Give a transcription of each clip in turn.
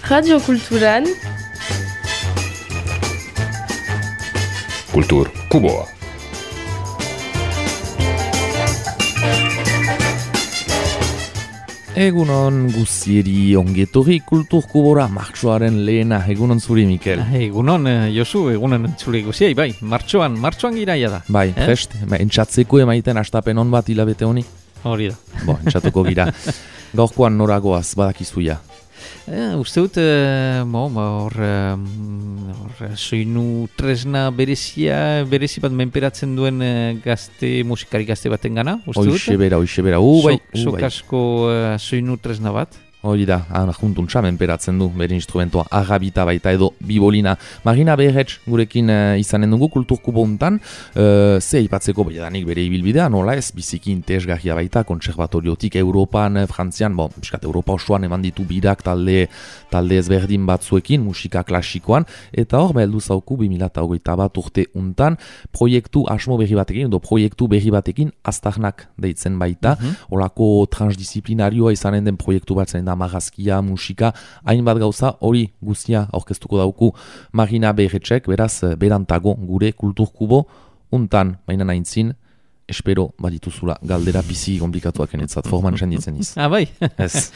Radio Kulturan Kultur Kuboa. Egunon guzieri ongetorri Kultur Kubora martxoaren lehena. Egunon zuri, Mikel. Egunon, Josu, egunon zure guziei, bai, martxoan giraia da. Bai, prest, entxatzeko emaiten astapen on bat hilabete honi? Hori da. Entxatuko gira. Gaurkoan noragoaz, badakizuia. Uste dut, hor soinu tresna berezi bat menperatzen duen musikari gazte baten gana, uste dut? Hoixe bera, bai. Sokasko soinu tresna bat. Hori da, juntuntza menperatzen du, bere instrumentoa, agabita baita edo bibolina. Marina Beherretz gurekin izanen dugu kulturkubo untan, ze ipatzeko baiadanik bere ibilbidea, nola ez, biziki interesgarria baita, kontserbatoriotik Europan, Frantzian, piskat Europa osoan eman ditu birak talde ezberdin batzuekin, musika klasikoan, eta hor, heldu zauku 2021 urte untan, proiektu asmo berri batekin, edo proiektu berri batekin, aztarnak deitzen baita, holako transdisciplinarioa izanen den proiektu bat zen da magazkia, musika, hainbat gauza, hori guztia aurkeztuko dauku Marina Beherretzek, beraz, berantago gure kulturkubo untan, baina naintzin, espero badituzula galdera bizi komplikatuak enetzat, forman senditzen iz. Bai? Ez.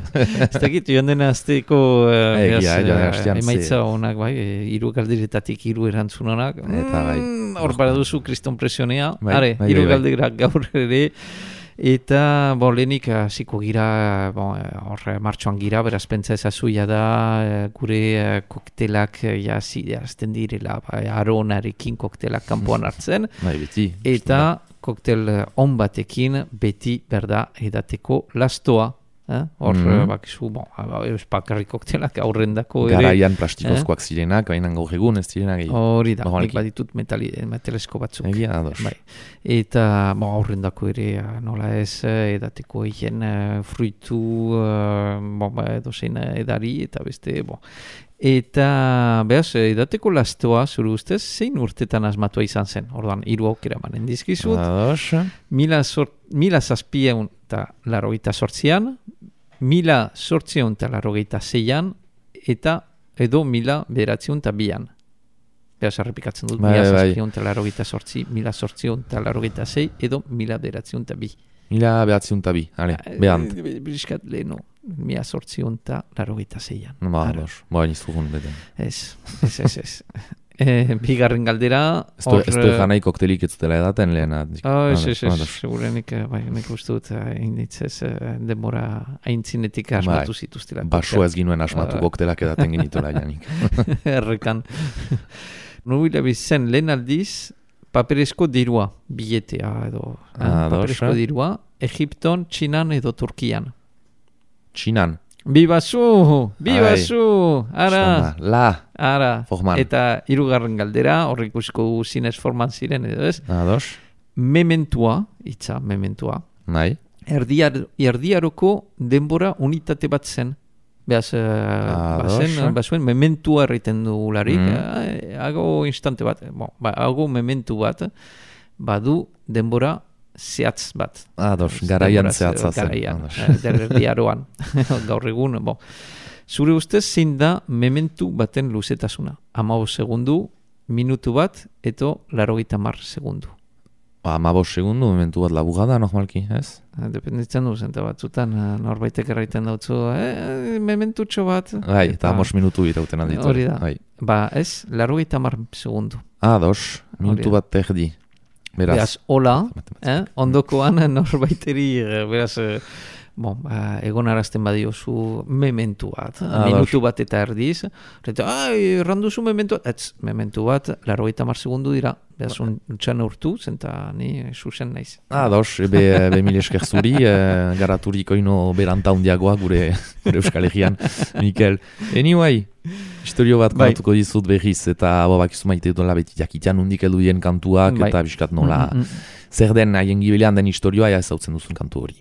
Ez dakit, joan dena azteko emaitza honak, bai, 3 galderetatik 3 erantzun honak. Eta bai. Hor baraduzu kriston presionea, bai, 3 galderak gaur ere. Eta lehenik hasiko gira, hor martxoan gira, beraz pentsa ezazuia da, gure koktelak azten direla, aronarekin koktelak kanpoan hartzen. Bai, beti. Eta koktel on batekin beti berda edateko lastoa. Hor, bakizu, bakarrik koktelak aurrendako ere. Garaian plastikozkoak zirenak, baina gaur egun ez zirenak. Hori da, nik baditut metalesko batzuk. Egia, ados. Bai. Eta aurrendako ere, nola ez, edateko egin fruitu, edozein edari, eta beste, Eta, behaz, edateko lastoa, zure ustez, zein urtetan asmatua izan zen? Orduan, 3 aukera manen dizkizut. Ados. 1888an, 1886an, eta edo 1902an. Behaz, errepikatzen dut, 1888, 1886, edo 1902. 1902, ale, behant. Biskat leheno, 1886an. Ados, nizugun beten. Ez. Bigarren galdera... Ez du janai koktelik ez dela edaten lehena. Ez, segurenik, nik uste dut, hainitzez, denbora haintzinetik asmatu zituztela. Baso ez ginuen asmatu koktelak edaten genitula janik. Errekan. Nubila bizen lehen aldiz, paperezko dirua, biletea edo. Paperezko dirua, Egipton, Txinan edo Turkian. Txinan. Bibazu, ara. Ara. Forman. Eta 3. galdera, horrik ikusiko zinez forman ziren edo ez. Ados. Mementua. Bai. Erdiaroko denbora unitate bat zen. Beaz, bazuen mementua erriten dugularik. Hago instante bat, hago mementu bat, badu denbora zehatz bat. Ados, garaian zehatza zen. Garaian, erdiaroan. Gaur egun, Zure ustez zein da mementu baten luzetasuna? 15 segundu, minutu bat, eto 90 segundu. 15 segundu, mementu bat labugada, normalki, ez? Dependitzen du, zenta batzutan, norbaitek erraiten dautzu, mementutxo bat. Bai, eta 5 minutu irauten alditu. Hori da. Ez, 90 segundu. Ados, minutu bat terdi. Beraz, hola, ondokoan norbaiteri, beraz, egon arazten badiozu mementu bat, minutu bat eta erdiz, erranduzu mementu bat, mementu bat, 90 segundu dira, beraz, untxan urtu, zenta ni zuzen naiz. Ados, mil esker zuri, garaturiko ino berantaundiagoa gure Euskal Herrian, Mikel. Anyway, historio bat kontatuko dizut berriz, eta bakizu maite dola beti jakitean undik eldudien kantuak, eta biskat nola, zer den haien gibelean den historioa, ezautzen duzun kantu hori.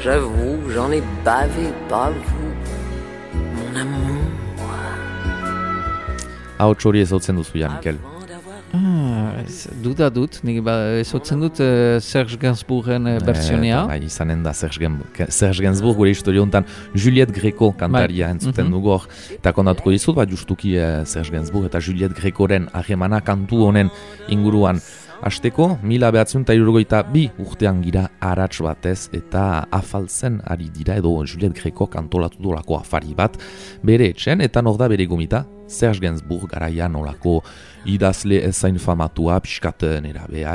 J'avoue, j'en ai bavé, pas vous, mon amour. Ahots hori ezautzen duzu, Mikel. Duda dut, nik ezotzen dut Serge Gainsbourgen bertsionea. Izanen da Serge Gainsbourg gure historia honetan Juliette Greco kantaria entzuten dugu hor. Eta kondatuko dizut, justuki Serge Gainsbourg eta Juliette Grecoren harremana kantu honen inguruan. Hasteko, 1962 urtean gira arats batez eta afaltzen ari dira edo Juliette Greco kantolatu dolako afari bat bere etxen eta nor da bere gomita Serge Gainsbourg garaian olako idazle ezain famatua, pixkat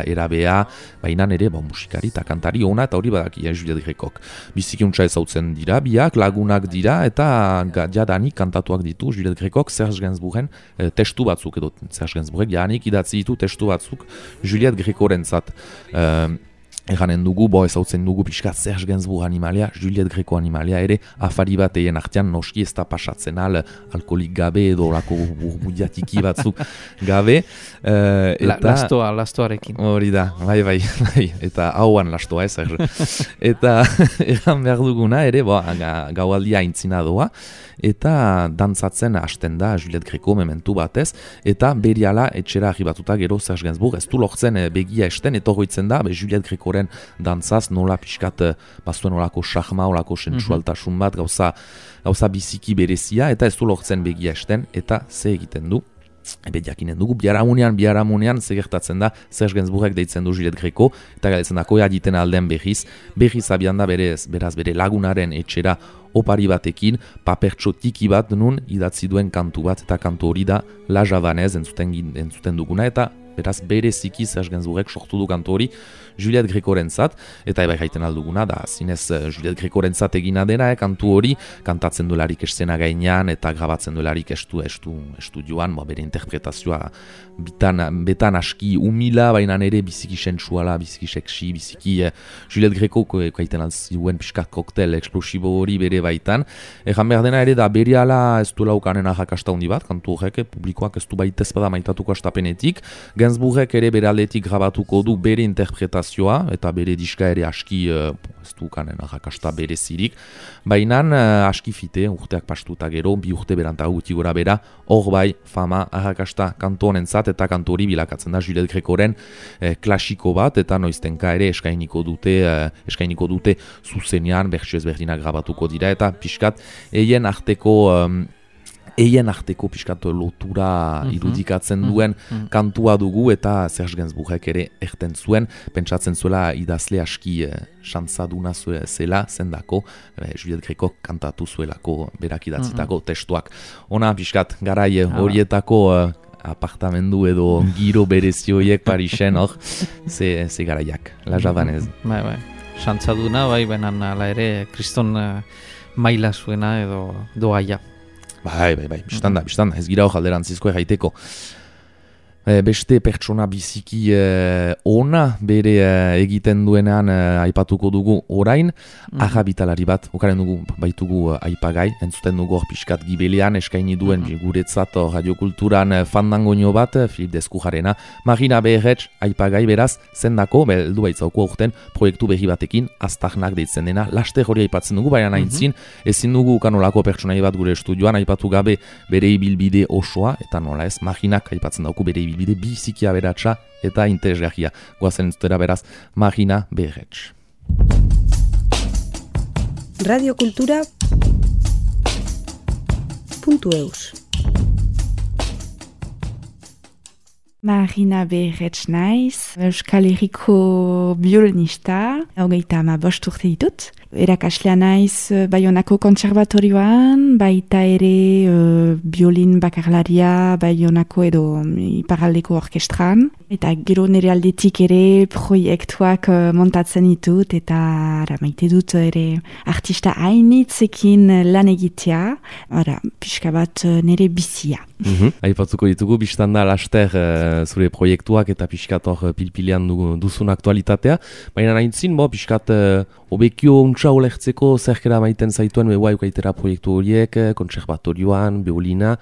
erabea, baina nere musikari eta kantari ona eta hori badakia Juliette Grecok. Bizikiuntza ezautzen dira, biak lagunak dira eta jadanik kantatuak ditu Juliette Grecok Serge Gainsbourgen testu batzuk edo Serge Gainsbourgek jadanik idatzi ditu testu batzuk Juliette Grecorentzat. Eganen dugu, ezautzen dugu pixka Serge Gainsbourg animalia, Juliette Greco animalia ere, afari bat egin artean noski ez da pasatzen alkoholik gabe edo lako burbudiatiki batzuk gabe. Lastoarekin. Hori da, bai, eta hauan lastoa Serge. Eta egan behar duguna ere, gaualdia aintzina doa, eta dantzatzen hasten da Juliette Greco mementu batez, eta beriala etxera arribatuta gero Serge Gainsbourg ez du lortzen begia esten, eta horretzen da Juliette Grecoren dantzaz nola pixkat bazuen olako xahma, olako sensualtasun bat, gauza biziki berezia, eta ez du lortzen begia esten, eta ze egiten du. Ebe jakinen dugu, biharamunean zegertatzen da Serge Gainsbourgek deitzen du Juliette Greco eta galetzen da koia diten alden behiz abian da beraz bere lagunaren etxera opari batekin, papertxo tiki bat nun idatzi duen kantu bat eta kantu hori da La Javanez entzuten duguna eta beraz bereziki Serge Gainsbourgek sortu du kantu hori Juliette Grecorentzat, eta ebai jaiten alduguna da zinez Juliette Grecorentzat egina dena, kantu hori kantatzen duelarik eszena gainean eta grabatzen duelarik estudioan, bere interpretazioa betan aski humila, baina ere biziki sensuala, biziki seksi, biziki Juliette Greco kaiten altzuen pixkat koktel eksplosibo hori bere baitan. Egan behar dena ere da beriala ez duela ukanen arrakasta hundi bat, kantu horrek publikoak ez du baitez bada maitatuko astapenetik. Gainsbourgek ere bere aldetik grabatuko du bere interpretazioa eta bere diska ere aski ez du ukanen arrakasta berezirik. Baina aski fite, urteak pastuta gero, 2 urte berantago guti gora bera, hor bai fama arrakasta kantu honentzat eta kantu hori bilakatzen da Juliette Grecoren klasiko bat eta noiztenka ere eskainiko dute zuzenean bertsio ezberdinak grabatuko dira eta pixkat eien arteko pixkat lotura irudikatzen duen kantua dugu eta Serge Gainsbourgek ere erten zuen, pentsatzen zuela idazle aski xantzaduna zela zendako, Juliette Greco kantatu zuelako berak idatzitako testuak. Ona pixkat garai horietako apartamendu edo giro berezioiek Parisen hor, ze garaiak, La Javanez. Bai, xantzaduna, benan ala ere kriston maila zuena edo doaia. Bai, biztan da, ez gira hor alderantzizko erraiteko. Beste pertsona biziki ona bere egiten duenean aipatuko dugu orain, ahabitalari bat, okaren dugu baitugu aipagai, entzuten dugu hor pixkat gibelean eskaini duen guretzat radiokulturan fandangoño bat, Filip Deskujarena, Marina Beherretz aipagai beraz, zendako, beldu baitzauko aurten proiektu berri batekin, aztarnak deitzen dena, laster hori aipatzen dugu, baina aintzin, ezin dugu kanolako pertsonai bat gure estudioan, aipatu gabe bere ibilbide osoa, eta nola ez, Marinak aipatzen dauku bere ibilbide biziki aberatsa eta interesgarria. Goazen entzutera beraz, Marina Beherretz. Radiokultura.eus Marina Beherretz naiz, Euskal Herriko biolinista, 35 urte ditut. Erakaslea naiz Baionako kontserbatorioan, baita ere biolin bakarlaria Baionako edo iparraldeko orkestran. Eta gero nire aldetik ere proiektuak montatzen ditut eta maite dut ere artista hainitzekin lan egitea. Pixka bat nire bizia. Aipatzuko ditugu, biztan da laster zure proiektuak eta pixkat hor pilpilean duzun aktualitatea. Baina nahintzin, pixkat obekio untsa olertzeko zerkera maiten zaituen behuaik aitera proiektu horiek, kontserbatorioan, biolina,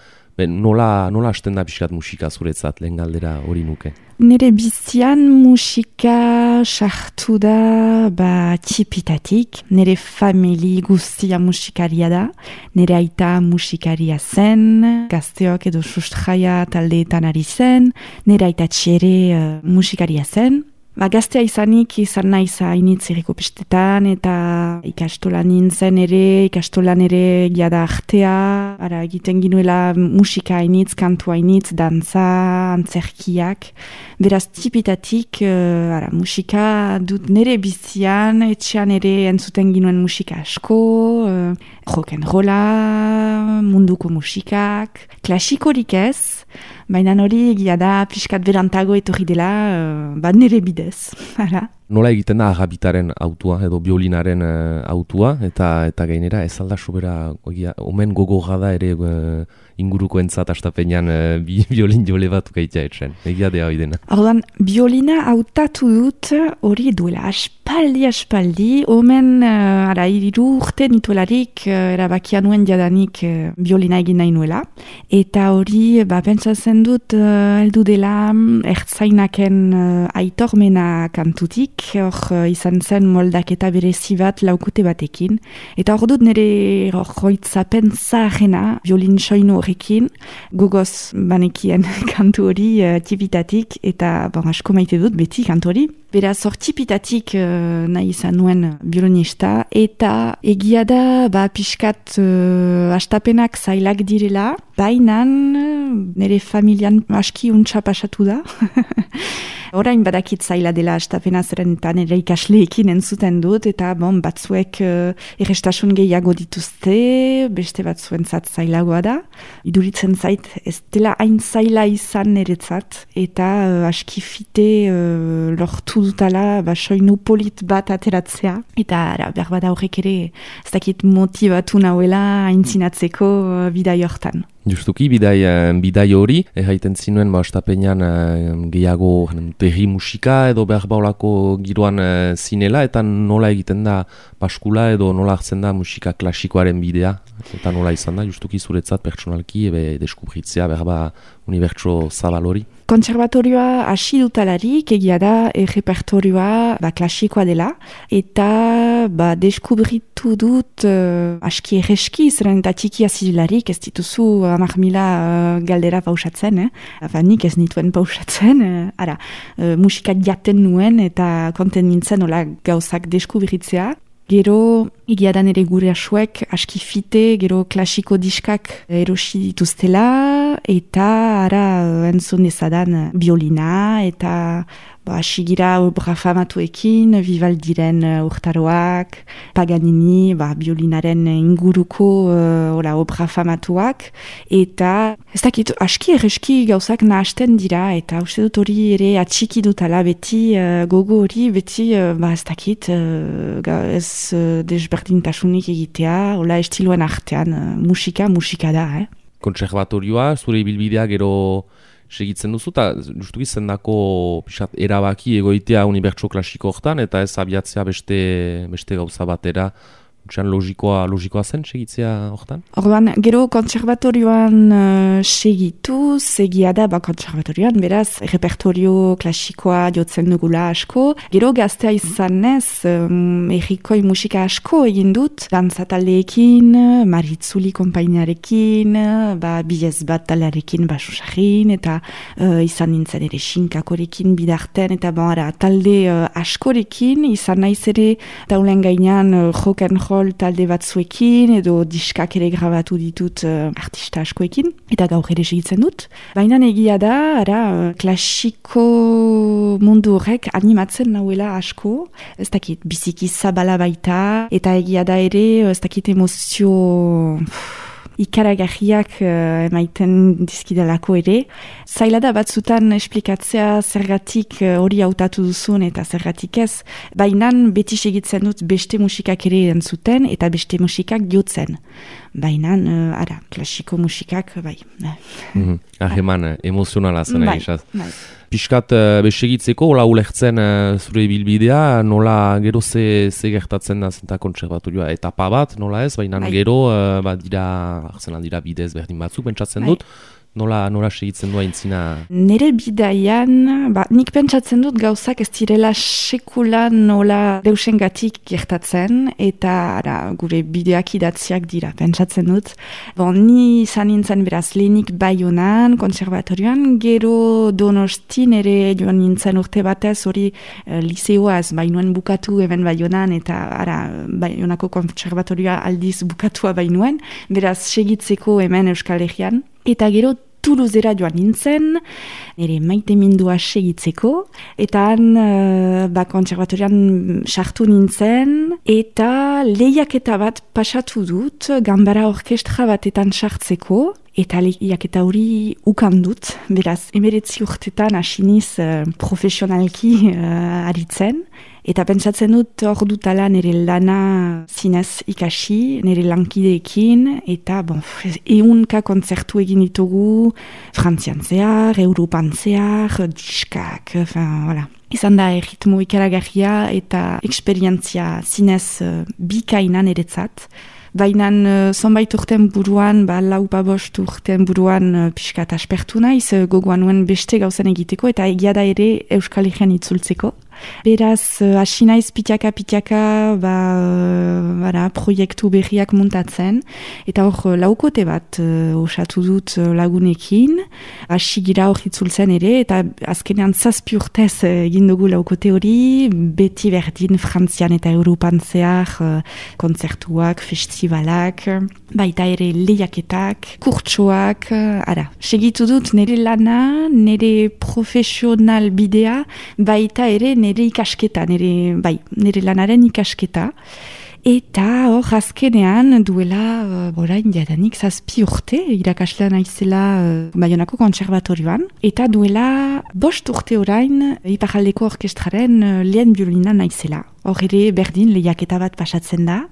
Nola hasten da pixkat musika zuretzat, lehen galdera hori nuke? Nire bizian musika sartu da txipitatik. Nire famili guztia musikaria da. Nire aita musikaria zen, gazteok edo sustraia taldeetan ari zen. Nire aita txere musikaria zen. Gaztea izanik izan naiz hainitz irriko pestetan eta ikastolan nintzen ere, ikastolan ere giada artea, egiten ginuela musika hainitz, kantu hainitz, dantza, antzerkiak. Beraz tipitatik musika dut nire bizian, etxean ere entzuten ginuen musika asko, rock'n'rolla, munduko musikak, klasikorik ez, baina hori egia da pixkat berantago etorri dela, nire bidez. Nola egiten da agabitaren autua edo biolinaren autua eta gainera ez alda sobera omen gogorra da ere inguruko entzat astapenean biolin jole bat gaitea etxen. Egia dea hori dena. Orduan, biolina hautatu dut hori duela aspaldi, omen 3 urte nituelarik erabakia nuen jadanik biolina egin nahi nuela. Eta hori, pentsatzen dut heldu dela ertzainaken aitormena kantutik, hor izan zen moldaketa berezi bat laukute batekin. Eta hor dut nire hoitzapen zaharena, violin soinu horrekin, gogoz banekien kantu hori tipitatik, eta asko maite dut beti kantu hori. Beraz, hor tipitatik nahi izan nuen violinista, eta egia da pixkat astapenak zailak direla, bainan nire familian aski untsa pasatu da. Orain badakit zaila dela astapena zeren eta nire ikasleekin entzuten dut, eta batzuek errestasun gehiago dituzte, beste batzuentzat zailagoa da. Iduritzen zait ez dela hain zaila izan niretzat, eta aski fite lortu dutala soinu polit bat ateratzea. Eta behar bada horrek ere ez dakit motibatu nahuela aintzinatzeko bidai hortan. Justuki, bidai hori, haiten zinuen astapenean gehiago terri musika edo behar baulako giroan zinela, eta nola egiten da paskula edo nola hartzen da musika klasikoaren bidea, eta nola izan da, justuki zuretzat pertsonalki deskubritzea behar unibertso zabal hori. Kontserbatorioa hasi dutalarik egia da repertorioa klasikoa dela, eta deskubritu dut aski erreski, zeren eta txikia zirelarik ez dituzu 10.000 galdera pausatzen, nik ez nituen pausatzen, musika jaten nuen eta konten nintzen hola gauzak deskubritzea. Gero, egiadan ere gure asuek aski fite, gero klasiko diskak erosi dituztela, eta entzun dezadan biolina, eta asigira obra famatuekin, Vivaldiren urtaroak, Paganini, biolinaren inguruko obra famatuak, eta ez dakit, aski erreski gauzak nahasten dira, eta uste dut hori ere atxiki dutala beti, gogo hori beti, ez dakit, ez desberdintasunik egitea, hola estiloen artean, musika da, Kontserbatorioa, zure ibilbidea gero segitzen duzu, eta justuki zendako erabaki egoitea unibertso klasiko hortan, eta ez abiatzea beste gauza batera, logikoa zen segitzea hortan? Orduan, gero kontserbatorioan segitu, segia da kontserbatorioan, beraz, repertorio klasikoa jotzen dugula asko. Gero gaztea izanez, errikoi musika asko egin dut, dantzataldeekin, Maritzuli konpainiarekin, bilez bat taldearekin basusarin, eta izan nintzen ere xinkakorekin bidarten, eta talde askorekin, izan naiz ere taulen gainean rock'n'roll talde batzuekin, edo diskak ere grabatu ditut artista askoekin, eta gaur ere segitzen dut. Baina egia da, klasiko mundu horrek animatzen nahuela asko, ez dakit, biziki zabala baita, eta egia da ere, ez dakit emozio ikaragarriak emaiten dizkidalako ere. Zaila da batzutan esplikatzea zergatik hori hautatu duzun eta zergatik ez, baina beti segitzen dut beste musikak ere entzuten eta beste musikak jotzen. baina, klasiko musikak, bai. Hageman, emozionala zen Bai. Piskat besegitzeko, hola ulertzen zure bilbidea, nola gero ze gertatzen da zenta kontserbatorioa etapa bat, nola ez, baina gero dira bidez berdin batzuk, pentsatzen dut, nola segitzen du aintzina? Nere bidaian, nik pentsatzen dut gauzak ez direla sekula nola deusengatik gertatzen, eta gure bideak idatziak dira, pentsatzen dut. Ni izan nintzen beraz lehenik Baionan, konservatorioan, gero Donosti nere joan nintzen urte batez hori liseoaz, bainuen bukatu hemen Baionan, eta Baionako konservatorioa aldiz bukatua bainuen, beraz segitzeko hemen Euskal Herrian. Eta gero Toulousera joan nintzen, nire maite mindua segitzeko, eta han konservatorian sartu nintzen, eta lehiaketa bat pasatu dut, ganbara orkestra batetan sartzeko, eta lehiaketa hori ukandut, beraz, 19 urtetan asiniz profesionalki aritzen, eta pentsatzen dut hor dutala nire lana zinez ikasi, nire lankideekin, eta 100 kontzertu egin ditugu, Frantzian zehar, Europan zehar, diskak, voilà. Izan da erritmo ikaragarria eta eksperientzia zinez bikaina niretzat. Baina zonbait urten buruan, 4-5 urten buruan pixkat aspertu naiz, gogoan nuen beste gauzan egiteko, eta egia da ere Euskal Herrian itzultzeko. Beraz, hasi naiz pitaka, proiektu berriak muntatzen, eta hor laukote bat osatu dut lagunekin, hasi gira hor itzultzen ere, eta azkenean 7 urtez egin dugu laukote hori, beti berdin Frantzian eta Europan zehar kontzertuak, festivalak, baita ere lehiaketak, kurtsoak, segitu dut nire lana, nire profesional bidea, baita ere nire ikasketa, nire lanaren ikasketa. Eta hor azkenean duela orain jadanik 7 urte irakaslean naizela Baionako konservatorioan, eta duela 5 urte orain Iparraldeko orkestraren lehen biolina naizela. Hor ere berdin lehiaketa bat pasatzen da.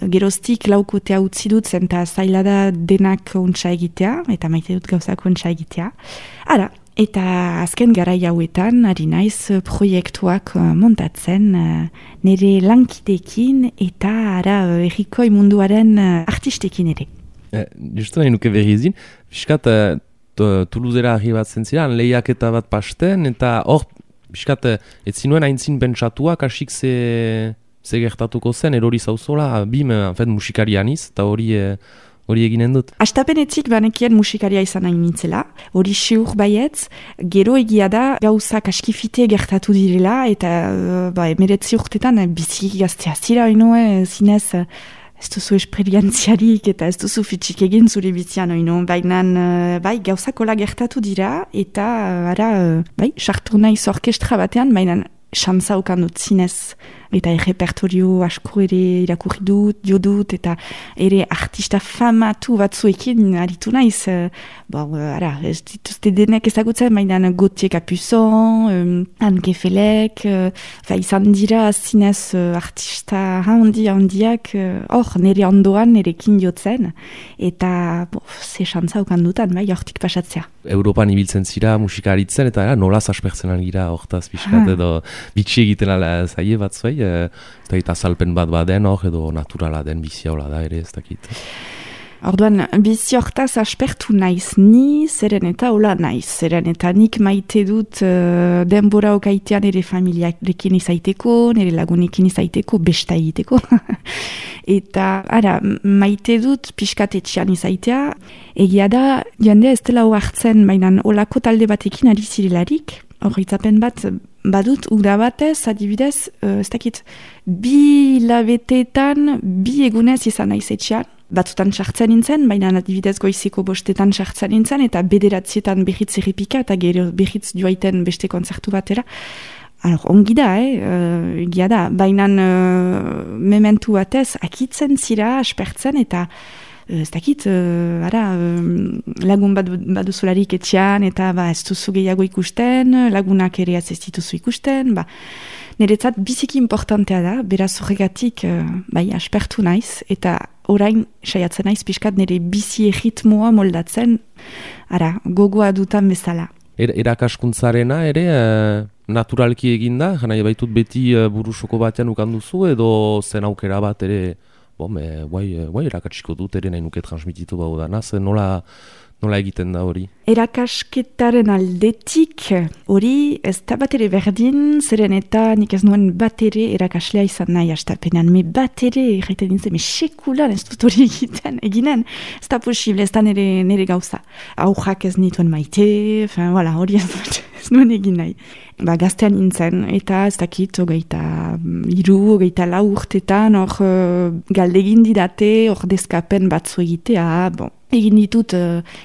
Geroztik laukotea utzi dut zen eta zaila da denak ontsa egitea, eta maite dut gauzak ontsa egitea. Eta azken garai hauetan ari naiz proiektuak montatzen nire lankideekin eta errikoi munduaren artistekin ere. Justu nahi nuke berrizin, biskat Toulousera arribatzen ziren, lehiaketa bat pasten, eta hor, biskat, ez zinuen aintzin pentsatuak, asik ze gertatuko zen, erori zauzola, musikarianiz, eta hori eginen dut. Astapenetzik banekien musikaria izan nahi nintzela, hori siur baietz, gero egia da gauzak askifite gertatu direla, eta 19 urtetan biziki gaztea zira oino, zinez ez duzu esperientziarik eta ez duzu fitxik egin zure bizian oino, baina gauzak hola gertatu dira, eta sartu naiz orkestra batean, baina xantza okan dut zinez, eta errepertorio asko ere irakurri dut, eta ere artista famatu batzuekin aritu naiz. Ez dituzte denek ezagutzen, baina Gauthier Capuçon, Anne Kefelek, izan dira zinez artista handiak, hor nire ondoan nerekin jotzen, eta ze xantza okan dutan, hortik pasatzea. Europan ibiltzen zira musikaritzen, eta nolaz aspertzen algira hortaz pixkat, edo bitxi egiten ala zaie batzuei, eta azalpen bat baden hor, edo naturala den bizia hola da ere ez dakit. Orduan, bizi hortaz aspertu naiz ni, zeren eta hola naiz. Zeren eta nik maite dut denbora okaitean ere familiarekin izaiteko, nire lagunekin izaiteko, besta egiteko. Eta, maite dut pixkatetxean izaitea. Egia da, jendea ez dela hartzen, baina olako talde batekin ari zirelarik. Horritzapen bat badut, uda batez, adibidez, ez dakit, 2 labetetan, 2 egunez izan naiz etxean. Batzutan sartzen nintzen, baina adibidez goiziko 5etan sartzen nintzen, eta 9etan behitz errepika, eta gero behitz joaiten beste kontzertu batera. Ongi da, egia da, baina mementu batez, akitzen zira, aspertzen, eta ez dakit, lagun baduzularik etxean, eta ez duzu gehiago ikusten, lagunak ere ez dituzu ikusten, niretzat biziki importantea da, beraz horregatik aspertu naiz, eta orain saiatzen naiz pixkat nire bizi ritmoa moldatzen, gogoa dutan bezala. Erakaskuntzarena ere naturalki eginda, jana baitut beti burusoko batean ukanduzu edo zen aukera bat ere, guai erakatsiko dut ere nahi nuke transmititu bau da, nola egiten da hori? Erakasketaren aldetik hori ez da bat ere berdin, zeren eta nik ez nuen bat ere erakaslea izan nahi astapenean, me bat ere erraiten dintzen, sekulan ez dut hori eginen, ez da posible, ez da nire gauza. Aurrak ez nituen maite, hori ez nuen egin nahi. Gaztean nintzen, eta ez dakit, hogeita 4 urtetan, galdegin didate, dezkapen batzu egitea, egin ditut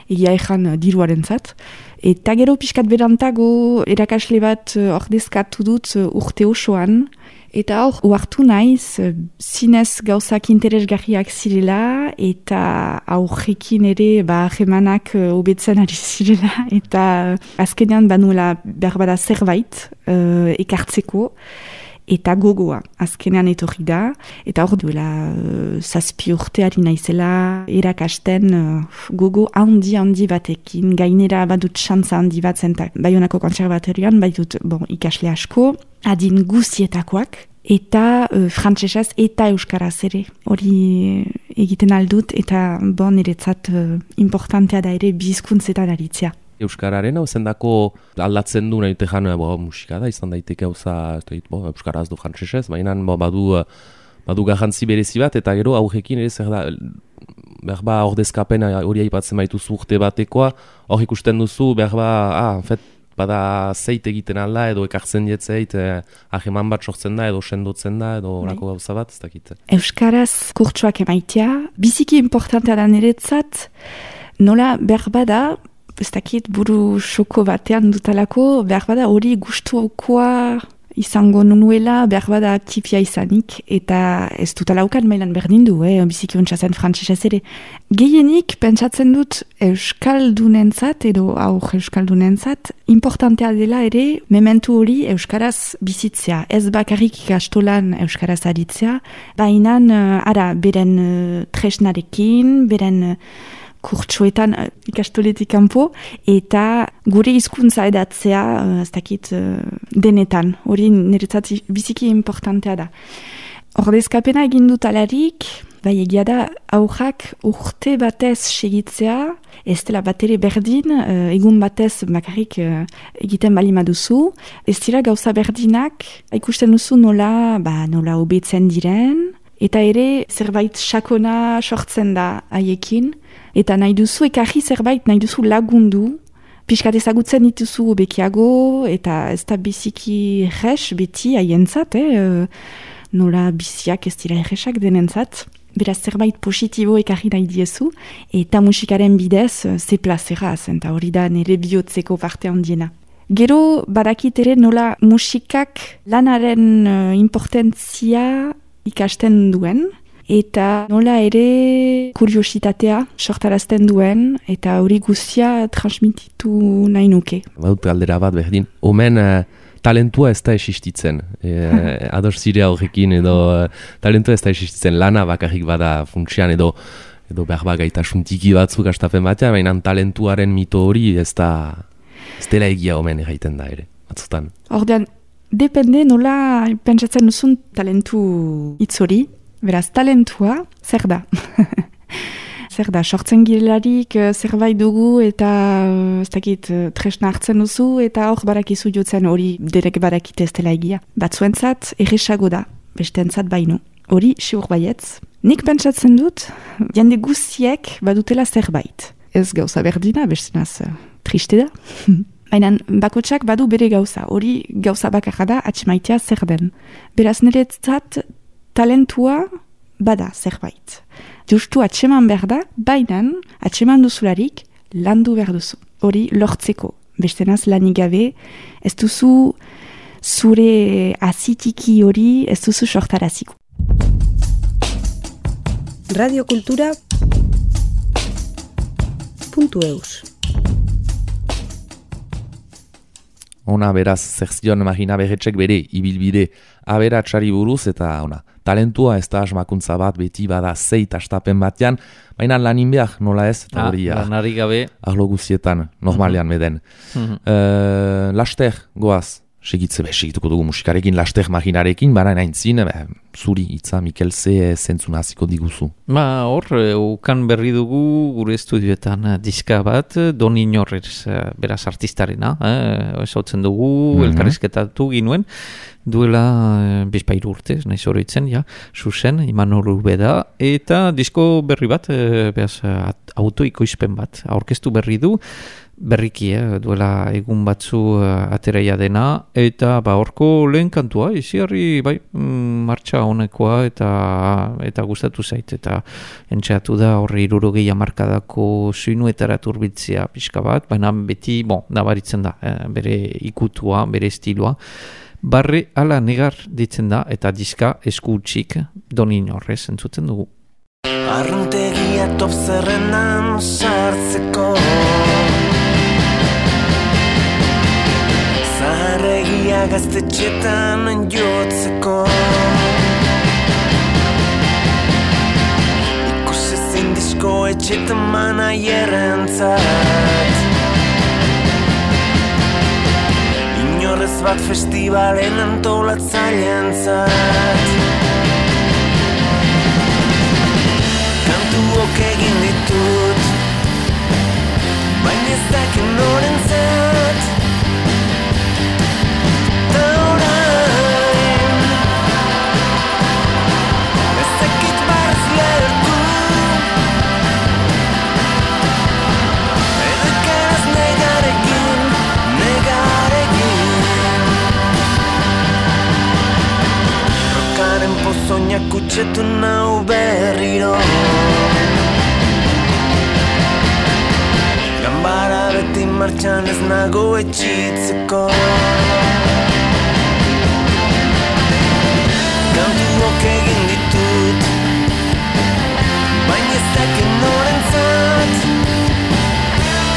egia ezan diruaren zat. Eta gero pixkat berantago erakasle bat ordezkatu dut urte osoan. Eta uartu naiz, zinez gauzak interesgarriak zirela, eta aurrekin ere jemanak hobetzen ari zirela, eta azkenean banuela berbada zerbait ekartzeko, eta gogoa, azkenean etorri da, eta hor duela 7 urte ari naizela erakasten gogo handi batekin, gainera badut xantza handi bat zentak, Baionako kontserbatorioan, badut ikasle asko, adin guztietakoak, eta frantsesez eta euskaraz ere. Hori egiten aldut, eta niretzat importantea da ere bizkuntzetan aritzea. Euskararen hau zendako aldatzen du nahi tejan musika da, izan daiteke hauza euskaraz du frantsesez, baina badu garrantzi berezi bat, eta gero aurrekin ere zer da, berba ordezkapen hori aipatzen baituzu urte batekoa, hor ikusten duzu, berba, bada zeit egiten alda, edo ekartzen jetzeit, aheman bat sortzen da, edo sendotzen da, edo orako gauza bat, ez dakit. Euskaraz kurtsuak emaitea, biziki importantea da niretzat, nola berbada, ez dakit buru xoko batean dutalako, berbada hori gustukoa izango nuela, berbada tipia izanik, eta ez dutalaukan mailan berdin du, biziki ontsazen frantsesez ere. Gehienik pentsatzen dut euskaldunentzat, edo euskaldunentzat, importantea dela ere, mementu hori euskaraz bizitzea. Ez bakarrik ikastolan euskaraz aritzea, baina beren tresnarekin, beren kurtsuetan ikastoletik kanpo, eta gure hizkuntza edatzea, ez dakit, denetan. Hori niretzat biziki importantea da. Ordezkapena egin dut alarik, egia da, aurrak urte batez segitzea, ez dela bat ere berdin, egun batez bakarrik egiten bali maduzu, ez dira gauza berdinak, ikusten duzu nola hobetzen diren, eta ere zerbait sakona sortzen da haiekin, eta nahi duzu ekarri zerbait, nahi duzu lagundu, pixkat ezagutzen dituzu bekiago, eta ez da biziki erres beti haientzat, nola biziak ez dira erresak denentzat, beraz zerbait positibo ekarri nahi diezu, eta musikaren bidez ze plazera, eta hori da nire bihotzeko parte handiena. Gero badakit ere nola musikak lanaren importantzia ikasten duen, eta nola ere kuriositatea sortarazten duen, eta hori guztia transmititu nahi nuke. Baut galdera bat berdin, omen talentua ez da existitzen, ados zire horrekin, edo talentua ez da existitzen, lana bakarrik bada funtsian, edo behar gaitasun tiki batzuk astapen batean, baina talentuaren mito hori ez dela egia omen egiten da ere, batzutan. Ordean, depende nola pentsatzen duzun talentu hitz hori, beraz talentua zer da? Zer da, sortzen girelarik zerbait dugu eta ez dakit tresna hartzen duzu eta hor barakizu jotzen hori derek barakite ez dela egia. Batzuentzat erresago da, besteentzat baino. Hori siur baietz. Nik pentsatzen dut, jende guztiek badutela zerbait. Ez gauza berdina, bestenaz triste da. Baina bakotsak badu bere gauza, hori gauza bakarra da atxemaitea zer den. Beraz niretzat talentua bada zerbait. Justu atxeman behar da, baina atxeman duzularik landu behar duzu. Hori lortzeko. Bestenaz lanik gabe, ez duzu zure azitiki hori ez duzu sortaraziko. radiokultura.eus Ona beraz, zer zion Marina Berretxek bere ibilbide aberatsari buruz eta ona talentua ez da asmakuntza bat, beti bada 6 astapen batean, baina lanin behar, nola ez, eta hori lanari gabe arlo guztietan, normalean meden. Laster, goaz, segituko dugu musikarekin, laster maginarekin, baina naintzin, zuri hitza Mikel ze zentzun hasiko diguzu. Hor, ukan berri dugu gure estudioetan diska bat, Don Inorrez, beraz artistarena, esotzen dugu, elkarrizketatu ginuen, duela bizpairu urte, nahiz horitzen, zuzen, Imanol Ubeda, eta disko berri bat, beraz, autoikoizpen bat, aurkeztu berri du, berriki, duela egun batzu ateraia dena, eta horko lehen kantua, iziarri, martxa honekoa, eta gustatu zait, eta entxeatu da horre 60 hamarkadako soinuetara turbiltzea pixka bat, baina beti, nabaritzen da, bere ikutua, bere estiloa, barre ala negar ditzen da, eta diska esku utxik Don Inorrez entzuten dugu. Arruntegia top zerrendan sartzeko, zaharregia gaztetxetan jotzeko, ikusezin disko etxetan manaierrentzat, Inorrez bat festivalen antolatzaileentzat. Kantuok egin ditut, baina ez dakit norentzat. Ta orain, ez dakit barz lertu, edo ikaraz negarekin. Rokaren pozoinak kutsetu nau berriro, ganbara beti martxan ez nago etxitzeko. Kantuok egin ditut, baina ez dakit norentzat.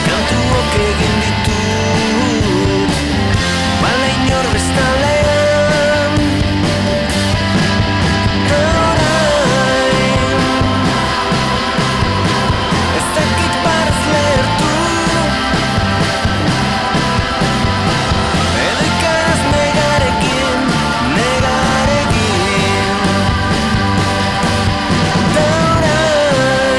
Kantuok egin ditut, bala inor bestalean. Ez dakit barz lertu, edo ikaraz negarekin. Ta orain,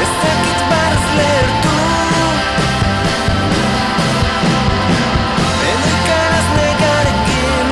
ez dakit barz lertu, edo ikaraz negarekin.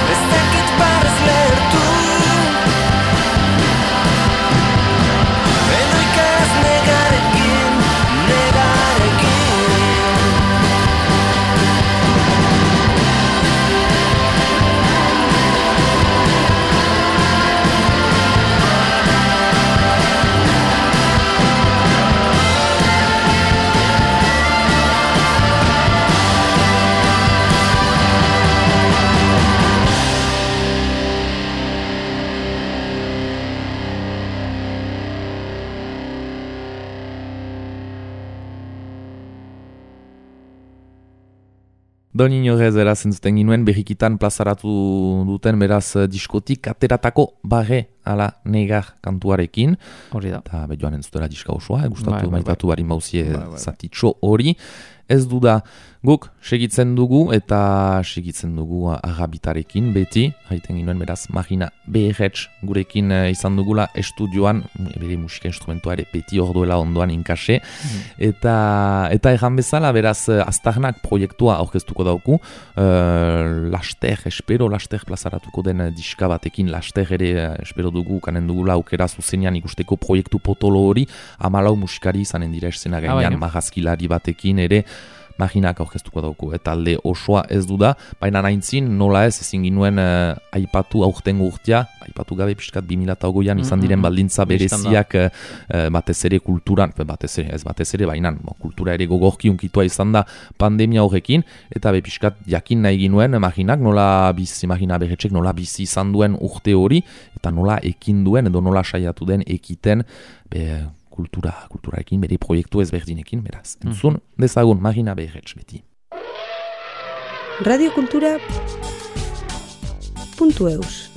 Ez dakit barz lertu, edo ikaraz negarekin. Don Inorrez erazen zuten ginuen, berrikitan plazaratu duten beraz diskotik ateratako barre ala negar kantuarekin. Hori da. Eta joan entzutera diska osoa, gustatu maitatu barin mauzie zatitxo hori. Ez du da, guk segitzen dugu eta segitzen dugu agabitarekin beti, haiten ginuen beraz Marina Beherretz gurekin izan dugula estudioan, bere musika instrumentua ere beti orduela ondoan inkase, eta erran bezala beraz Aztarnak proiektua aurkeztuko dauku, laster plazaratuko den diska batekin, laster ere espero dugu, kanen dugula aukera zuzenean ikusteko proiektu potolo hori, 14 musikari izanen dira escena gainean, marrazkilari batekin ere, Maginak aurkeztuko dauku, talde osoa ez du da, baina naintzin nola ezin ginuen aipatu aurtengo urtea, aipatu gabe pixkat 2008an izan diren baldintza bereziak batez ere kulturan, batez ere baina kultura ere gogorki unkitua izan da pandemia horrekin, eta pixkat jakin nahi ginuen Maginak Magina Berretxek nola bizi izan duen urte hori, eta nola ekin duen edo nola saiatu den ekiten kulturarekin, bere proiektu ezberdinekin, beraz. Entzun dezagun Magina Berretx beti. Radiokultura.eus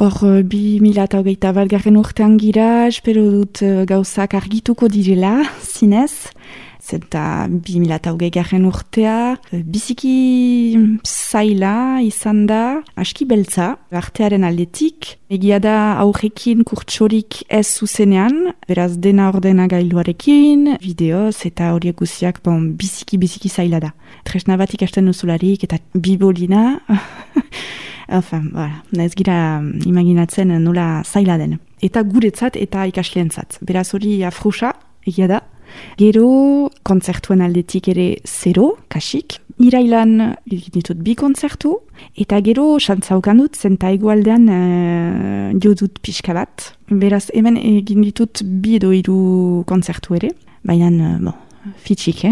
Hor, 2021 garren urtean gira, espero dut gauzak argituko direla, zinez. Zenta 2020 garren urtea, biziki zaila izan da, aski beltza, artearen aldetik. Egia da aurrekin kurtsorik ez zuzenean, beraz dena ordena gailuarekin, bideoz eta horiek guziak biziki zaila da. Tresna bat ikasten duzularik eta bibolina, ez gira imaginatzen nola zaila den. Eta guretzat eta ikasleentzat. Beraz hori afrusa, egia da. Gero, kontzertuen aldetik ere 0, kasik. Irailan ditut 2 kontzertu, eta gero xantzaukan dut, zenta egualdean jo dut pixka bat. Beraz, hemen egin ditut 2 edo 3 kontzertu ere, baina, fitxik,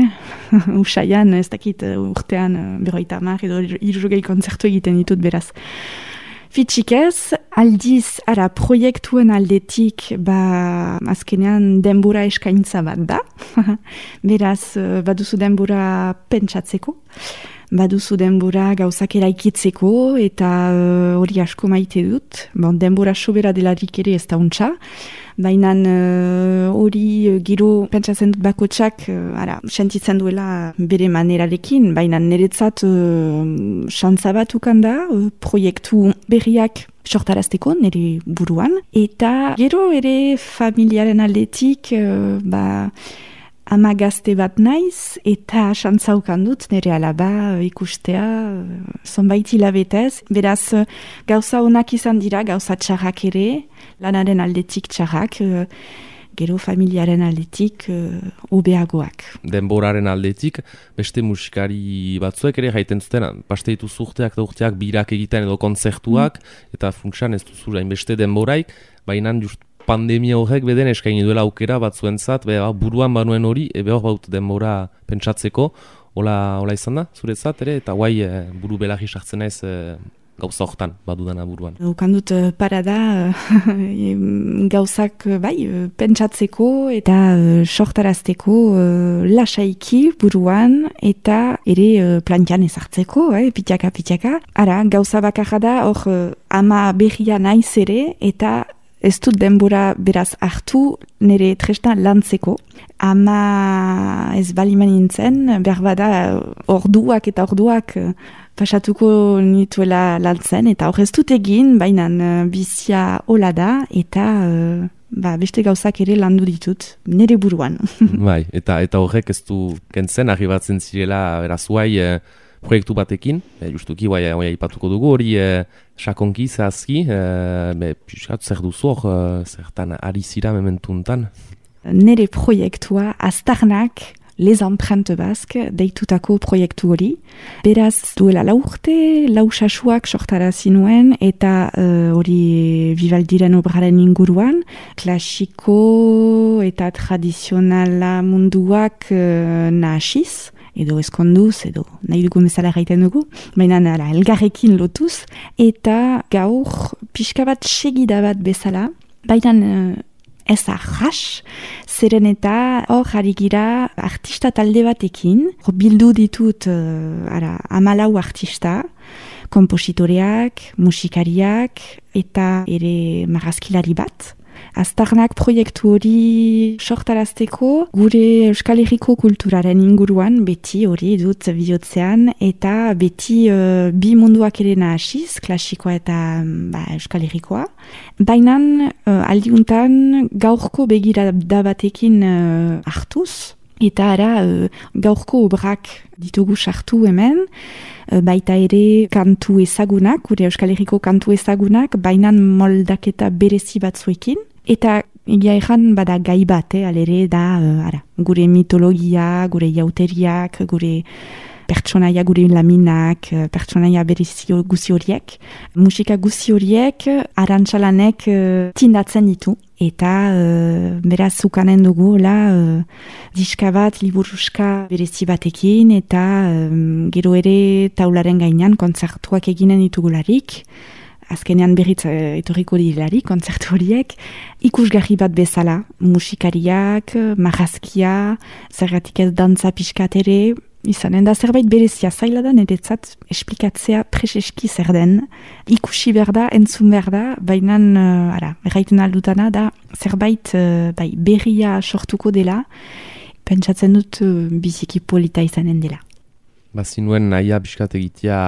Usaian, ez dakit urtean 50 edo 60 kontzertu egiten ditut, beraz. Fitxik ez, aldiz, proiektuen aldetik, azkenean denbora eskaintza bat da. Beraz, baduzu denbora pentsatzeko, baduzu denbora gauzak eraikitzeko, eta hori asko maite dut. Denbora sobera delarik ere ez da untxa. Baina hori gero pentsatzen dut bakotsak, sentitzen duela bere manerarekin, baina niretzat xantza bat ukan da, proiektu berriak sortarazteko nire buruan. Eta gero ere familiaren aldetik, ama gazte bat naiz, eta xantzaukan dut nire alaba ikustea zonbait hilabetez. Beraz, gauza onak izan dira, gauza txarrak ere, lanaren aldetik txarrak, gero familiaren aldetik hobeagoak. Denboraren aldetik, beste musikari batzuek ere jaiten zuten, paste dituzu urteak da urteak birak egiten edo kontzertuak, eta funtsan ez duzu beste denboraik, baina just pandemia horrek beden eskaini duela aukera batzuentzat, buruan banuen hori, hor baut denbora pentsatzeko, hola izan da, zuretzat ere, eta guai buru belarri sartzen naiz gauza hortan badudana buruan. Ukandut parada gauzak pentsatzeko eta sortarazteko lasaiki buruan eta ere plantian ezartzeko, pitaka. Ara, gauza bakarra da, hor ama berria naiz ere eta ez dut denbora beraz hartu nire tresna lantzeko. Ama ez baliman nintzen, behar bada orduak pasatuko nituela lantzen, eta hor ez dut egin, baina bizia hola da, eta beste gauzak ere landu ditut, nire buruan. Bai, eta horrek ez du kentzen, arribatzen zirela, beraz, proiektu batekin, justuki, aipatuko dugu, hori sakonki, zehazki, piskat, zer duzu hor, zertan ari zira mementuntan? Nere proiektua, Aztarnak, Les Empreintes Basques, deitutako proiektu hori. Beraz, duela 4 urte, 4 sasuak sortarazi nuen, eta hori Vivaldiren obraren inguruan, klasiko eta tradizionala munduak nahasiz, edo eskonduz, edo nahi dugu bezala gaiten dugu, baina elgarrekin lotuz, eta gaur pixka bat segida bat bezala, baina ez arras, zeren eta hor jarri gira artista talde batekin, bildu ditut 14 artista, kompositoreak, musikariak, eta ere marrazkilari bat. Aztarnak proiektu hori sortarazteko gure Euskal Herriko kulturaren inguruan beti hori dut bihotzean eta beti bi munduak ere nahasiz, klasikoa eta Euskal Herrikoa. Baina aldiuntan gaurko begirada batekin hartuz eta gaurko obrak ditugu sartu hemen, baita ere kantu ezagunak, gure Euskal Herriko kantu ezagunak, baina moldaketa berezi batzuekin. Eta egia ezan bada gai bat, alere da, gure mitologia, gure jauteriak, gure pertsonaia gure laminak, pertsonaia berizio guzi horiek. Musika guzi horiek arantxalanek tindatzen ditu. Eta beraz zukanen dugu diska bat, liburuska berezi batekin, eta gero ere taularen gainean kontzertuak eginen ditugularik. Azkenean berriz etorriko dilarik kontzertu horiek, ikusgarri bat bezala, musikariak, marrazkia, zergatik ez dantza pixkat ere, izanen da zerbait berezia zaila da niretzat esplikatzea preseski zer den, ikusi behar da, entzun behar da, baina erraiten aldutana da zerbait berria sortuko dela, pentsatzen dut biziki polita izanen dela. Bazinuen nahia pixkat egitea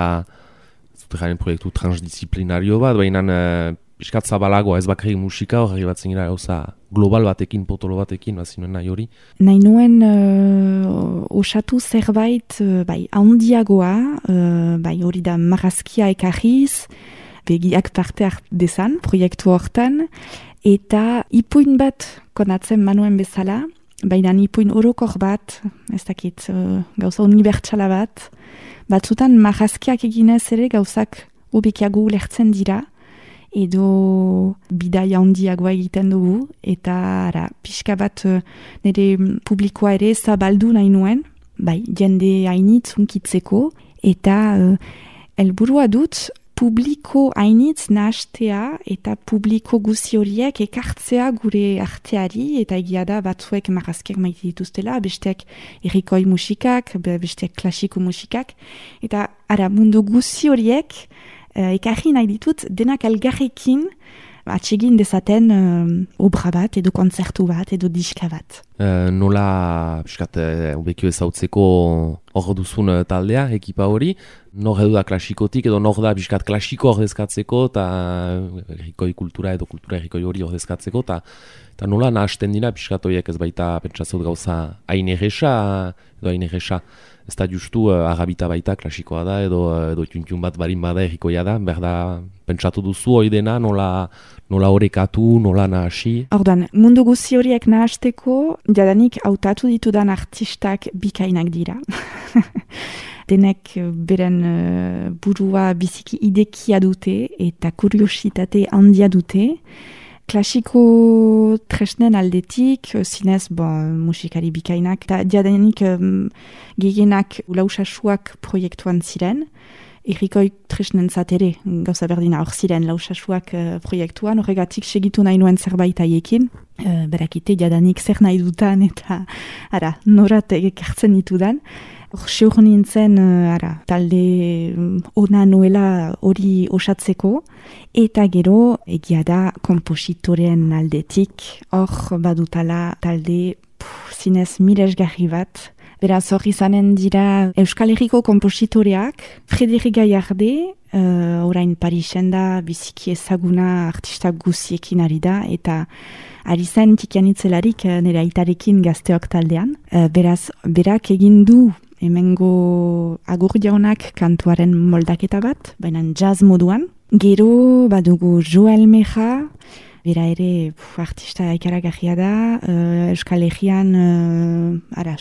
zutregaren proiektu transdisciplinario bat, baina pixkat zabalagoa ez bakarrik musika horri bat zingira gauza global batekin, potolo batekin, bazinuen nahi hori? Nahi nuen osatu zerbait handiagoa, hori da marrazkia ekarriz, begiak parte dezan proiektu hortan, eta ipuin bat konatzen manuen bezala, baina ipuin orokor bat, ez dakit, gauza unibertsala bat, batzutan marrazkiak eginez ere gauzak hobekiago lertzen dira, edo bidaia handiagoa egiten dugu, eta pixka bat nire publikoa ere zabaldu nahi nuen, jende hainitz hunkitzeko, eta helburua dut publiko hainitz nahastea eta publiko guzi horiek ekartzea gure arteari, eta egia da batzuek marrazkiak maite dituztela, besteak herrikoi musikak, besteak klasiko musikak, eta mundu guzi horiek ekarri nahi ditut denak elgarrekin atsegin dezaten obra bat, edo kontzertu bat, edo diska bat. Nola, piskat, obekio ezautzeko hor duzun taldea, ekipa hori, nor edo da klasikotik, edo nor da piskat klasiko ordezkatzeko, eta herrikoi kultura edo kultura herrikoi hori ordezkatzeko, eta nola nahasten dira piskat horiek ez baita pentsatzot gauza hain erresa, ez da justu agabita baita klasikoa da, edo txuntxun bat barin bada herrikoia da, berda pentsatu duzu hori dena, nola horekatu, nola nahasi? Ordan, mundu guzi horiek nahasteko, jadanik hautatu ditudan artistak bikainak dira. Denek beren burua biziki idekia dute eta kuriositate handia dute. Klasiko tresnen aldetik, zinez musikari bikainak, eta jadanik gehienak lausasuak proiektuan ziren. Herrikoi tresnen zatere, gauza berdina hor ziren lausasuak proiektuan, horregatik segitu nahi nuen zerbait haiekin. Berakite jadanik zer nahi dutan eta norat ekartzen ditudan. Hor seur nintzen talde ona nuela hori osatzeko, eta gero egia da kompositoren aldetik, hor badutala talde zinez miresgarri bat. Beraz hor izanen dira Euskal Herriko kompositoreak, Frederik Gallarde, orain Parisen da biziki ezaguna artista guziekin ari da, eta ari zen tikianitzelarik nire aitarekin gazteok taldean. Beraz, berak egin du hemengo Agur Jaunak kantuaren moldaketa bat, baina jazz moduan. Gero badugu Joel Meja, bera ere artista ikaragarria da, Euskal Herrian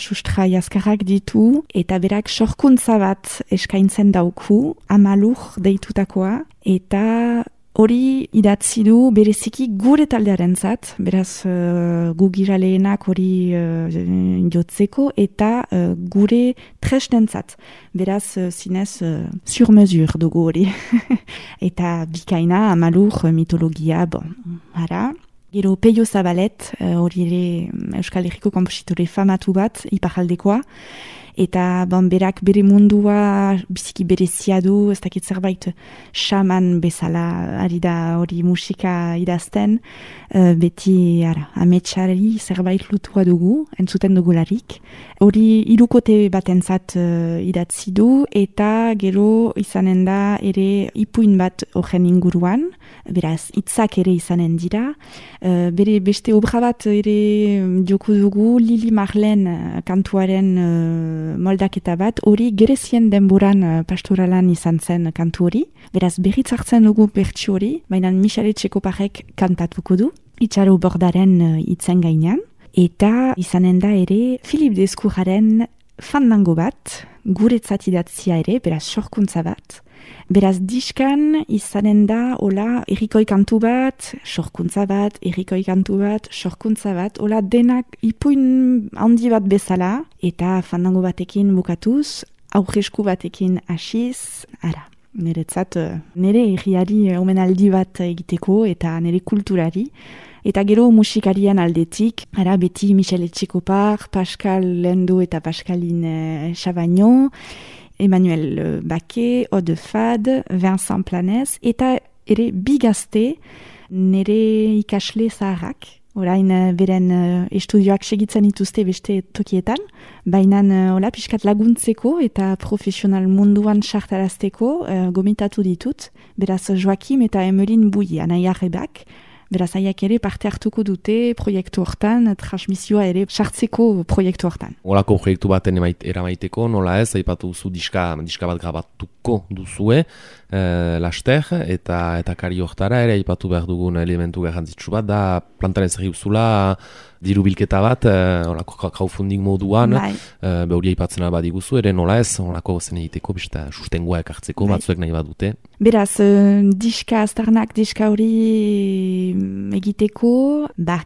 sustra jaskarrak ditu, eta berak sorkuntza bat eskaintzen dauku, Amalur deitutakoa, eta hori idatzi du bereziki gure taldearen zat, beraz gu giraleenak hori jotzeko, eta gure tresnen zat. Beraz zinez sur mesure dugu hori. Eta bikaina, Amalur, mitologia, Gero Peio Zabalet, hori ere Euskal Herriko kompositore famatu bat, iparaldekoa, eta berak bere mundua biziki berezia du, ez dakit zerbait xaman bezala ari da hori musika idazten, beti ametsari zerbait lutua dugu, entzuten dugularik. Hori hirukote batentzat idatzi du, eta gero izanen da ere ipuin bat horren inguruan, beraz hitzak ere izanen dira. Bere beste obra bat ere joko dugu, Lili Marlen kantuaren moldaketa bat, hori Gerezien denboran pastoralan izan zen kantu hori. Beraz berriz hartzen dugu bertsi hori, baina Michele Txekoparek kantatuko du. itxaro bordaren itzen gainean, eta izanen da ere Philip Descourjaren fandango bat, guretzat idatzia ere, beraz sorkuntza bat. Beraz diskan izanen da, hola, errikoi kantu bat, sorkuntza bat, errikoi kantu bat, sorkuntza bat, hola denak ipuin handi bat bezala, eta fandango batekin bukatuz, aurresku batekin hasiz, ara. Niretzat, nire erriari omenaldi bat egiteko eta nire kulturari. Eta gero musikarien aldetik, ara beti Michel Etxekopar, Pascal Lendo eta Pascaline Chabagnot, Emmanuel Baquet, Ode Fad, Vincent Planez, eta ere bigazte nire ikasle zaharrak. Orain beren estudioak segitzen dituzte beste tokietan, baina pixkat laguntzeko eta profesional munduan sartarazteko gomitatu ditut, beraz Joakim eta Emeline Bouilly, anai arrebak, beraz aiak ere parte hartuko dute proiektu hortan, transmisioa ere sartzeko proiektu hortan. Olako proiektu baten eramaiteko, nola ez, aipatu duzu diska bat grabatuko duzue, laster, eta kari hortara ere aipatu behar dugun elementu garrantzitsu bat, da plantaren zerri uzula diru bilketa bat, olako crowdfunding moduan, hori aipatzen badiguzu, ere nola ez, olako zen egiteko, bista sustengoa ekartzeko, batzuek nahi bat dute. Beraz, aztarnak diska hori egiteko,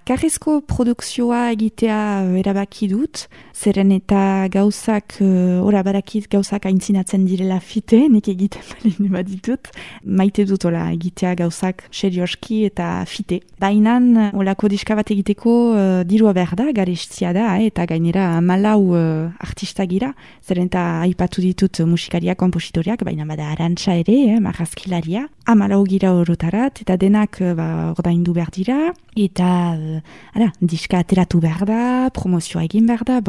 karrezko produkzioa egitea erabaki dut, zeren eta gauzak, badakit gauzak aintzinatzen direla fite, nik egiten balin baditut, maite dut egitea gauzak serioski eta fite. Bainan, olako diska bat egiteko dirua behar da, garestia da, eta gainera 14 artista gira, zeren eta aipatu ditut musikariak, kompositoriak, baina bada arantxa ere, marrazkilaria, 14 gira orotarat, eta denak ordaindu behar dira, eta diska ateratu behar da, promozioa egin behar da,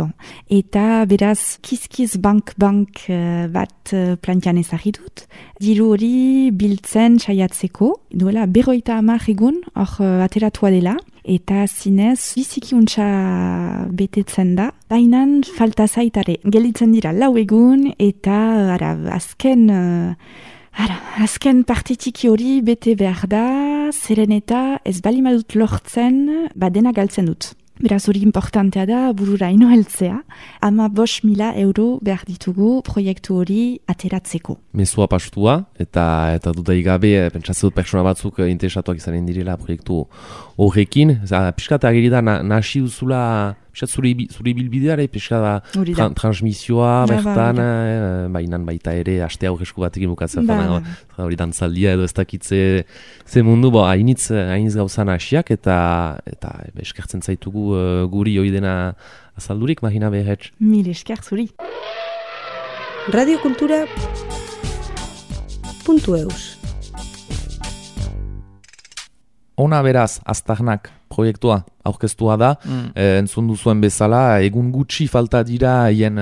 eta beraz kiskiz bank bat plantian ezagidut, diru hori biltzen saiatzeko, duela 50 egun, hor ateratua dela, eta zinez biziki untsa betetzen da, bainan falta zaitare, gelitzen dira 4 egun, eta azken partitiki hori bete behar da, zeren eta ez balimadut lortzen, dena galtzen dut. Beraz hori importantea da, burura ino heltzea, 15.000 euro behar ditugu proiektu hori ateratzeko. Mezua pastua, eta dudai gabe, pentsatzen dut pertsona batzuk interesatuak izanen direla proiektu horrekin. Piskat ageri da, nasi duzula, piskat zure bilbideare, piskat transmisioa, bertan, bainan baita ere, aste aurresku batekin bukatzen, hori dantzaldia edo ez dakitze ze mundu, hainitz gauza nasiak, eta eskertzen zaitugu guri hori dena azaldurik, Marina Behetz. Mil esker zuri. Radiokultura.eus Ona beraz, aztarnak proiektua aurkeztua da, entzun duzuen bezala, egun gutxi falta dira hien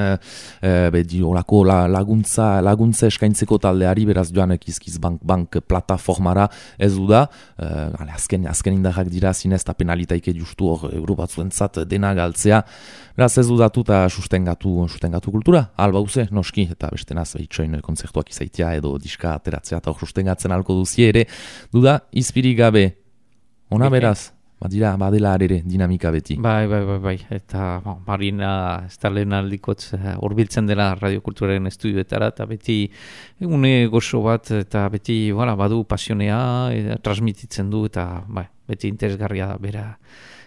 laguntza eskaintzeko taldeari, beraz joan Kiskiz bank plataformara ez du da, azken indarrak dira zinez eta penalitaike justu hor euro batzuentzat dena galtzea, beraz ez dudatu eta sustengatu kultura, alba uze, noski, eta beste naz behitxoin kontzertuak izaitia edo diska ateratzea eta hor sustengatzen alko duzie ere, duda, izpirik gabe. Ona beraz, badela arere dinamika beti. Bai, eta Marina ez da lehen aldikotz urbiltzen dela radiokulturaren estudioetara, eta beti egune gozo bat, eta beti badu pasionea, transmititzen du, eta beti interesgarria da bera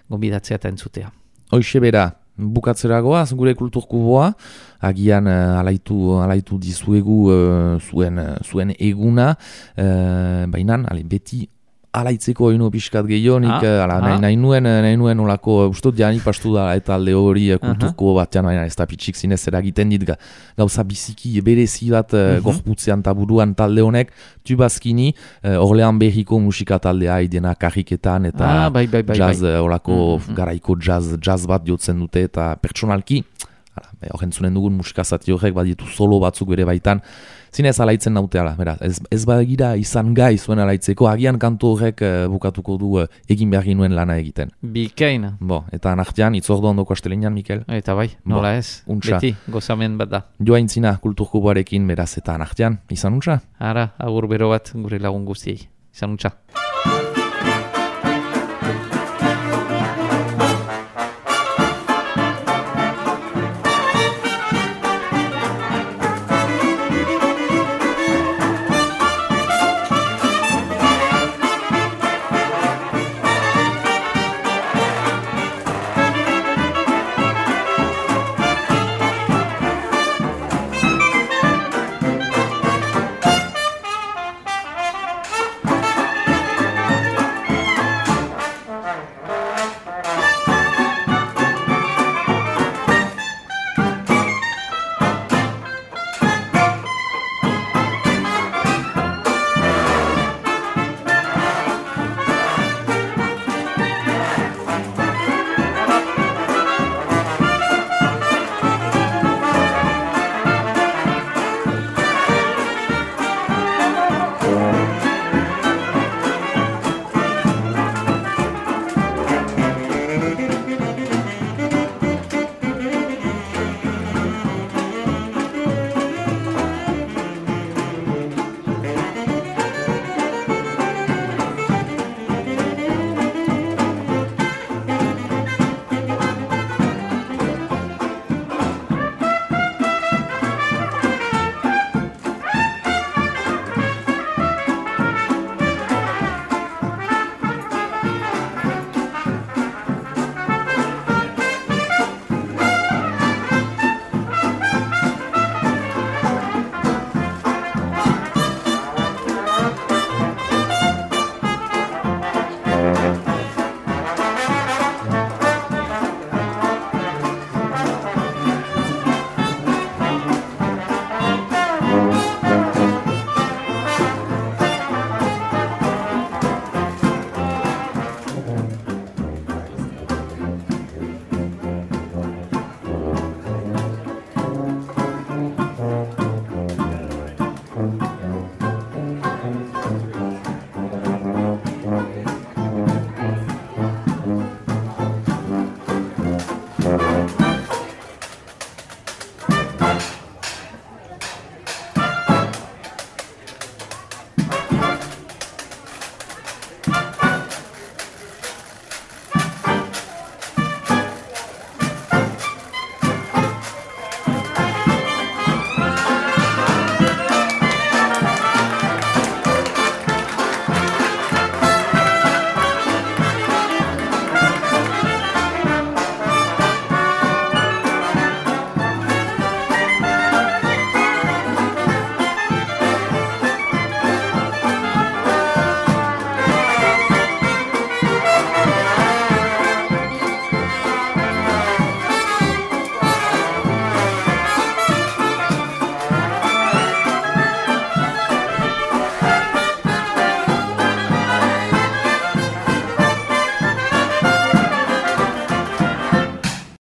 gonbidatzea eta entzutea. Hoixe bera, bukatzeragoaz gure kulturkuboa, agian alaitu dizuegu zuen eguna, bainan, beti alaitzeko hainu pixkat gehionik, nahi nuen olako, ustot janik pastu da eta alde hori kulturko batean, baina ez da pitxik zinez eragiten dit gauza biziki berezi bat gorputzean taburuan talde honek, Tubazkini, Orlean Berriko musika taldea idena karriketan eta jazz, olako garaiko jazz bat jotzen dute eta pertsonalki, horrentzunen dugun musikazati horrek baditu solo batzuk bere baitan, zinez alaitzen nauteala, ez bagira izan gai zuen alaitzeko, agian kantu horrek bukatuko du egin behar ginuen lana egiten. Bikaina. Eta nartian, itzordo ondoko astelenean, Mikel? Eta nola ez, beti, gozamen bat da. Joaintzina kulturkuboarekin beraz eta nartian, izan untsa? Agur bero bat gure lagun guztiei, izan untsa.